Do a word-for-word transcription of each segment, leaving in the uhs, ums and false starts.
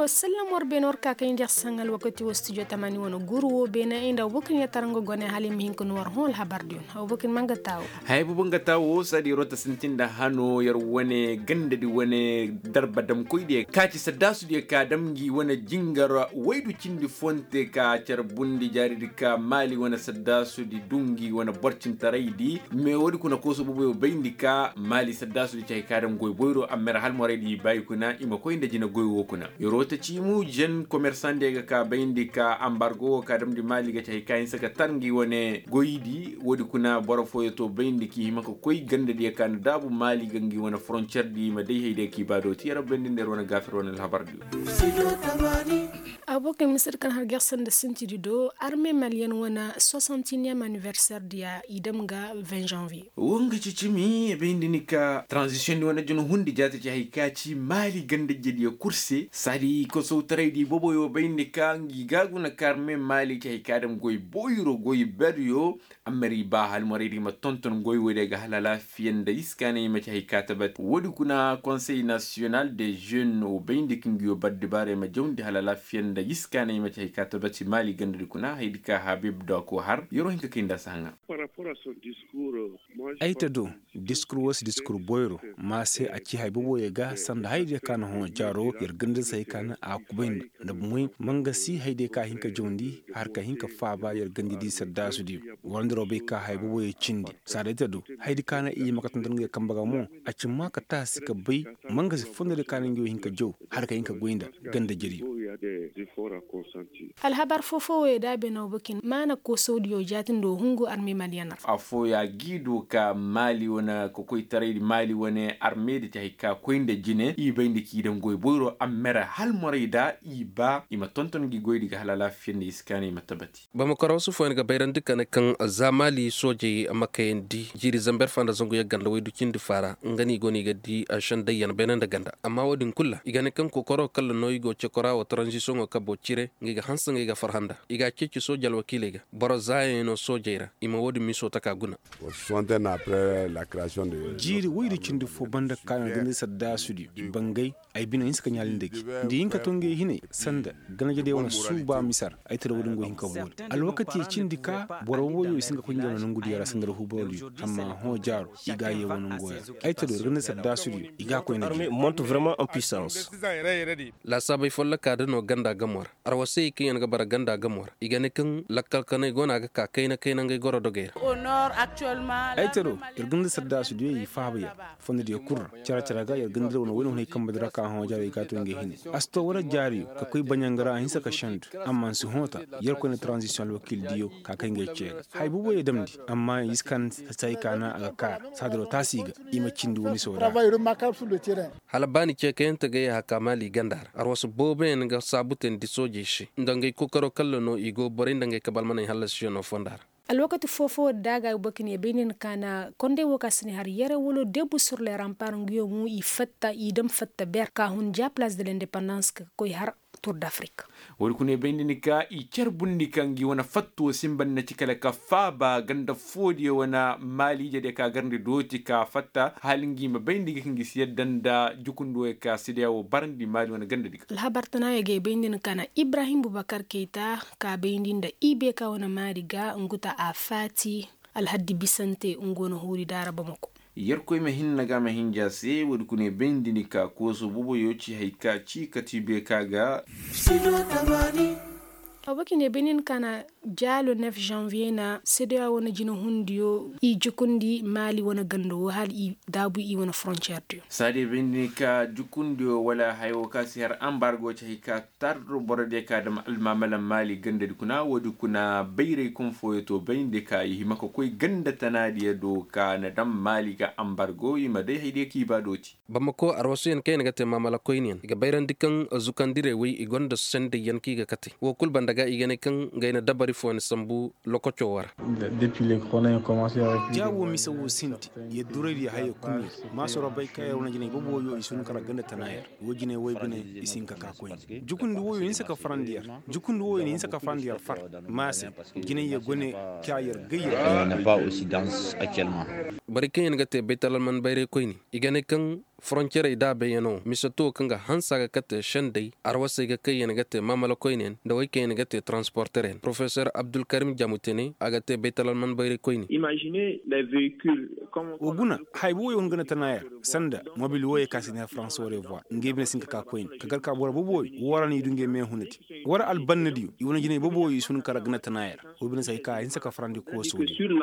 Wa sallam war beene war ka kaŋ i nda yer saŋ alwakati wo studio tamaani wane guru wo beene i nda abubakar yer tara nga gone hala i ma hin ka noo war hõ alhabar diyo. Abubakar ma nga taa wo. Haya boobo nga taa wo saadi yeroo ta sintin nda hano yer wane ganda di wane darba damkoy diyo ka ci saddaasu diyo ka dam ngi wane jingar waydu cindi fonte ka carbundi jaari di ka maali wane saddaasu di du ngi wane borcintaray di. Me woodi kuna kooso boobo yo bayndi ka maali saddaasu di ci hay ka dam goy boyro amma yer halmoray di i baayi kuna i ma koy nda jina goy wo kuna. Yeroo ta ciimu jen komersaŋ diyo ga ka bayndi ka ambargo wo ka damndi maali ga ci hay ka hinsa ga tar ngi wane goydi woodi kuna boro fooyo to bayndi k'i hima ka koy ganda diyo ka na daabu maali ga ngi wane foroncer di i ma day hay diyo k'i baa dooti yer bayndi nda yer wane gaafir wane alhabar diyo. Abubakar misir kaŋ har ger sanda sintidi do arme maliyen wane soixantiniyem aniversaire diya i dam ga vingt janvier. Wo nga ci cimi i bayndi ni ka transition di wane juna hundi jaati ci hay ka ci maali ganda jediyo kul se saadi kosowtaray di boboyo bayndi ka ngi ga guna ka arme maali ci hay ka dam goy boyro goy beryo. Amma ir i ba halmoray di i ma tonton goy woy day ga hala alaafiya nda iskaanay i ma ci hay ka tabati woodi kuna konsey nasiyonal de jeune wo bayndi ka ngi yo bar dibaara i ma jawndi hala alaafiya nda iskaanay i ma ci hay ka tabati maali ganda di kuna haydi ka habib do a ko har yeroo hin ka kay nda a si haŋa. Ay ta do diskur wo si diskur boyro ma se a ci hay boboyo ga sanda haydiyo ka na hõ jaaro yer ganda se hay ka na a kubayndi nda bomoy ma nga si haydiyo ka hin ka jawndi har ka hin ka faaba yer ganda di saddaasu diyo. War nda robey ka hay boboyo cindi saada ay ta do haydi ka na i ma ka tonton nga yer kamba ga mo a ci ma ka taasi ka bay ma nga si fondo diyo ka na nga yo hin ka jaw har ka hin ka goy nda ganda jariyo. Alhabar foo-foo woyo da a beenaw bakin maana koosawdiyo jaati nda wo hungu arme maliyanar. Affooya g'i du ka maali wane kokoytaray maali wane arme da ci hay ka koy nda jine i bay nda k'i daŋ goy boyro amma ra halmoray da i ba i ma tonton ngi goydi ga hala alaafiya nda i si kaanay i ma tabati. Bamako ra wasu fooyaŋ ga bayrandi ka ne kaŋ za maali soojey ma kayandi jiiri zamber fa nda zangu yagga nda waydu cindi fa ra nga no i go no i ga di sendayyaŋ beene nda ganda amma wo-din kulu ra i ga ne kaŋ kookaro kalla no i go cekora wa taranzisiyoŋo kabo cire nga i ga hanse nga i ga farhã nda i ga a ceeci sooje alwakiiley ga boro zaayaŋ no soojey ra i ma wo-din miso taka guna. Jiiri woydi cindi fo banda kaana ganda saddaasudiyo bangay ay bine hinse ka ɲaali nda gi nda i hin ka to ngey hinay sanda ganajediyo wane suuba misar ay tira wo-din go hin ka boori alwakati cindi ka boro woyo i si hin ka koy ngey wane nongudiyo ra sanda ra huuborodiyo amma hõ jaaro i ga a yee wane ngoya ay tira wo ir ganda saddaasudiyo i ga a koy nda gi. Laasaabey folloka da no ganda gamo ra arwasey kaŋ yaŋ ga bara ganda gamo ra i ga ne kaŋ lakkal kanay go no a ga ka kayna kayna ngey goro dogey ra. Ay tiro ir ganda saddaasudiyo i faaba yaŋ fondodiyo kul ra care care ga yer ganda wane wayne hunay kambe di ra ka hõ jaaro i ga a to ngey hine a si to wala jaariyo ka koy baɲanga ra a hinsa ka sendu amma si hõ ta yer koyne taranzisiyoŋ alwakiildiyo ka kay ngey cee ga haya booboyo damndi amma i si kan say ka na a ga kaara saadiro taasi ga i ma cindi wani sooda. Hala ba ni ceekayante ga yee haka maali ganda ra arwasu booboyaŋ ga saabutandi soojey se nda ngey kookaro kalla no i go borey nda ngey kabalmaney hallasiyano fonda ra. Alwakati foo-foo da a ga ay boro ka ne bay nda ni kaana kondey wo ka si ni har yere wala debu sur le rampar nguyo mo i fatta i dam fatta ber ka hun ja palaas de lendepandans ka koy har tur d'afrik. Wo-din kuna i bay nda ni ka i carbundi ka ngi wane fatto sinba ni na ci kala ka faaba ganda foodiyo wane maaliijediyo ka garndi dooti ka fatta hala ngi ma bay nda i ga ka ngi si yadda nda jukundi woyo ka sidiya wo barandi maali wane gandadi ga. Alhabar tanaayo ga i bay nda ni ka na ibrahim bubakar keyta ka bayndi nda i beeka wane maari ga ngu ta a faati alhaddi bisante ngu wane huuri daara bamako. Yerkoy ma hinna ga ma hinja se woodi kuna i bayndi ni ka kooso booboyo ci hay ka ci kati beeka ga. Abakine benin ka na jaalo nef janvier na sedeya wane jinehundiyo i jukundi maali wane ganda wo hala i daabu i wane frontier diyo. Saadiyo bayndi ni ka jukundiyo wala haya wo ka si har ambargo ci hay ka tar borodiyo ka dam almaamalan maali gandadi kuna woodi kuna bayray kaŋ fooyo to bayndi ka i hima ka koy ganda tanaadiyo do ka na dam maali ga ambargo i ma day haydiyo k'i ba dooti. Bamako arwasuyaŋ kaŋ yaŋ ga te maamala koyniyaŋ i ga bayrandi kaŋ zukandirey wey i gonda sendayyaŋ kaŋ i ga kate wo kulu banda ga i ga ne kaŋ ngey na dabari fooyaŋ sambu lokoco wo ra. Ja wo mise wo sinti yer duraydiyo haya kunyaŋ maasoro bay ka yer wane jinay boobo woyo i si hun kara ganda tana yer wo jinay woy bine i si hin ka ka koyne jukundi woyo hinse ka farandi yer jukundi woyo na hinse ka farandi yer far maase jinay yer gone ka yer gay yer. Borey kaŋ yaŋ ga te baytalalman bayray koyne i ga ne kaŋ Foroncerey daabayyaŋo mise to kaŋ ga hanse a ga kate sendey arwasey ga kaŋ yaŋ ga te maamala koyneyaŋ nda wey kaŋ yaŋ ga te taransporteryaŋ porofesor abdulkarim jamutene a ga te baytalalman bayray koyne. Wa guna haya booboy wo nga na tana yer sanda mobil wooyey kaŋ a si ne faransa woo revoir ngey bine si hin ka ka koyne ka gar ka boro booboy woo ra no i du ngey meehunadi woo ra albannadiyo i wane jinay booboy i si hin ka ra gana tana yer. Woo bine si hay ka a hinse ka farandi kooso. Ir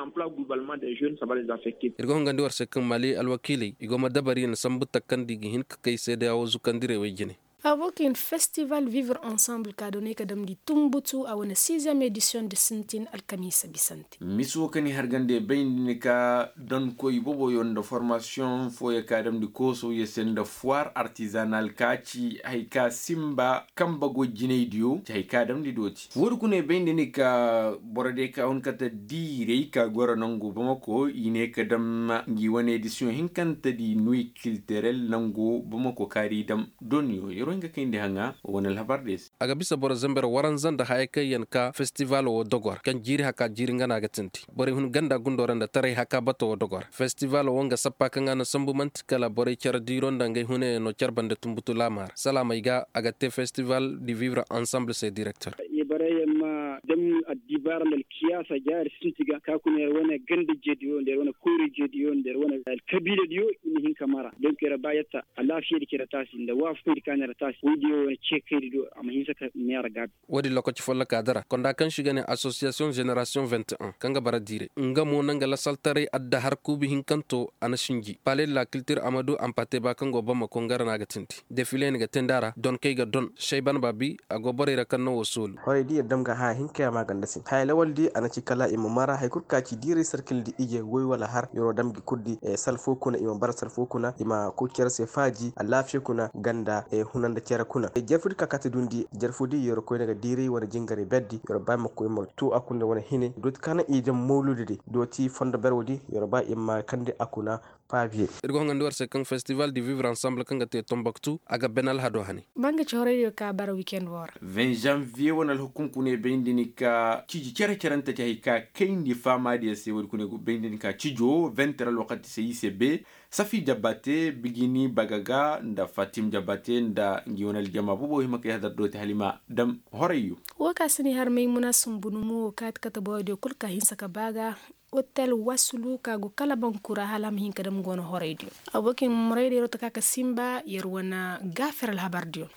ga hongandi war se kaŋ maali alwakiiley i go ma dabari na sambu takandi ga hin ka kay seedeya woo zukandirey wey jine. Abokin festival vivre ensemble ka doonay ka damndi tumbutu a wane sixième édition nda sintin alkamiisa bisante. Misi woo kaŋ i hargande bay nda ni ka donkoy boboyo nda formasiyoŋ fooyo ka damndi koosowyo se nda foir artizanal ka ci hay ka simba kambe goy jinaydiyo ci hay ka damndi dooti woodi kuna i bay nda ni ka boro diyo ka hun kate diiray ka goro nangu bamako i ne ka dam ngi wane edisiyoŋ hinkante di nuy kilterel nangu bamako kaari dam doniyo yeroo hin ga kayndi haŋa wane alhabar diyo se. A ga bisa boro zamber waranza nda haya kaŋ yaŋ ka festival woo dogor kaŋ jiiri haka jiiri nga no a ga tindi borey hun ganda gundo ra nda taray haka bato woo dogor festival woo nga sappa kaŋ a na sambu man'ti kala borey care diiro nda ngey hunayaŋo care bande tumbutu laama ra salaamey ga a ga te festival di vivre ensemble se direktor. Borey yaŋ ma dam addibaara nda alkiyaasa jaari sinti ga ka kuna yer wane ganda jeediyo nda yer wane koyra jeediyo nda yer wane alkabiila diyo i ma hin ka mara donk yer ba yatta alaafiyadi care taasi nda waafakoydi ka na yer taasi woydiyo wane ceekaydi do a ma hinsa ka neera gaabi. Woodin lokaci folloka dara konda kaŋ se i ga ne association génération vingt un kaŋ ga bara diiray nga mo na nga lasaltaray adda har kuubi hinkanto a na sinji pale de la kiltir amadu ampateba kaŋ go bamako nga ra no a ga tindi defile yaŋ ga teendi a ra donkey ga don sayban baabi a go borey ra kaŋ no woo soolu. Horey di yer dam ga haya hinka yaŋ maaganda se haya lawal di a na ci kala i ma mara hari kul ka ci diiray sarkil di ije woy wala har yeroo dam gi kul di sal foo kuna i ma bara sal foo kuna i ma koy cere se faaji alaafiya kuna ganda huna nda cere kuna jarfu di ka kaati dundi jarfu di yeroo koyne ga diiray wane jingaray berdi yeroo ba i ma koy ma tuu a kuna wane hine dooti ka naŋ i dam mawludi di dooti fondo berwo di yeroo ba i ma kandi a kuna. Paabiye. Ir ga hongandi war se kaŋ festival di vivre ensemble kaŋ ga te tombaktu a ga bene alhado hane. Ba nga ci horaydiyo ka bara wikend woo ra. Vingt janvier wane alhukum kuna i bayndi ni ka ciji cere-cerante ci hari ka kayndi faamaadiyo se woodi kuna i bayndi ni ka cijo vingt heure alwakati se i se be safi jabate bigini bagaga nda fatim jabate nda ngi wane aljama boobo hima ka yahadar dooti hala i ma dam horayyo. Woo ka si ni har maymuna sumbu numo woo kaati kate borodiyo kul ka hinsa ka ba ga. Otel wasulu ka go kala bankura hala a ma hin ka dam go no horaydiyo. Abokin moraydiyo ta ka ka simba yer wane gaafer alhabardiyo.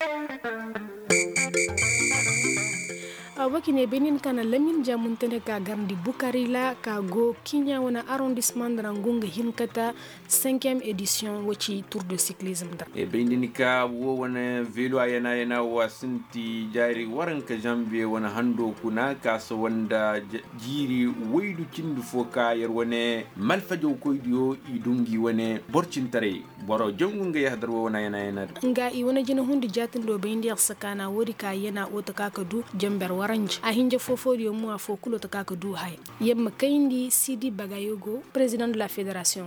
Abokin e benin ka na lamin jamuntene ka garndi bukari ra ka go kiɲa wane arrondissemant nda ra ngu nga hin kata. Cinquième édition woo ci tour de cyclisme nda ra. E bayndi ni ka woo wane velo a yana yana woo a sinti jaari waranka janvier wane hando kuna ka sawa nda jiiri waydu cindi foo ka yer wane malfajawkoydiyo i du ngi wane boro cintaray boro jangu nga yahadar woo wane a yana yana ra. Nga i wane jinahundi jaatindoo bayndi yer se ka na woodi ka yana woo ta ka ka du janber waranji a hinja foo-foodiyo mo afoo kuloo ta ka ka du haya. Yamma kayndi sidi bagayogo président de la fédération.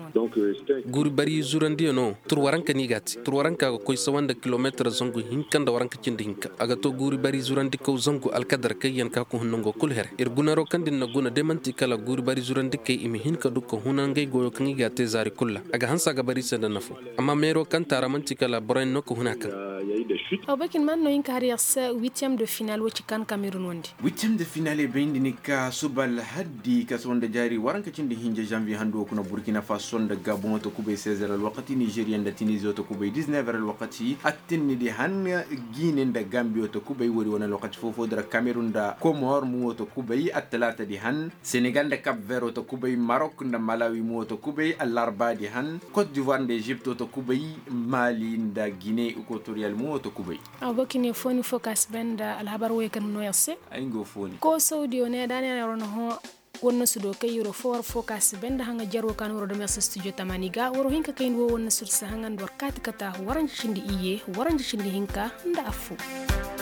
Guuri bari zurandiyano tur waranka no i ga a te tur waranka ga koy sawa nda kilomeetar zangu hinka nda waranka cindi hinka a ga to guuri bari zurandikaw zangu alkadar kaŋ yaŋ ka ga hun nango kulu here ir gunaro kaŋ din na guna day man'ti kala guuri bari zurandikey i ma hin ka du ka huna ngey goyo kaŋ i ga a te zaari kulu ra a ga hanse a ga bari i se nda nafo. Amma meero kaŋ taara man'ti kala boroyaŋ no ka huna kaŋ. Abokin man no hin ka har yer se huitième de finale wo ci kaŋ kamerun wandi. Huitième de finale bayndi ni ka suba alhaddi ka se wanda jaari waranka cindi hinja janvier hando kuna burkina faso nda gabon wata kubay seize heures alwakati nigeria nda tunisie wata kubay dix-neuf heures alwakati attinni di han guinée nda gambie wata kubay woodi wane alwakati foo-foo di ra cameroun nda comores mo wata kubay attalaata di han senegal nda cap vert wata kubay maroc nda malawi mo wata kubay allarba di han cote d'ivoire nda egypte wata kubay mali nda guinée equatorial mo wata kubay. Abokin e fooni foo ka si bay nda alhabar woy kaŋ no yer se. Ay nga fooni koosawdiyo ne da ne yer wane hõ. Wannasu do kay yeroo foo war foo ka si bay nda haŋa jaroo ka no waroo dam yer se studio tamaani ga waroo hin ka kayndi woo wannasu di se haŋa nda war kaati ka taa waranja cindi iyye waranja cindi hinka nda affoo.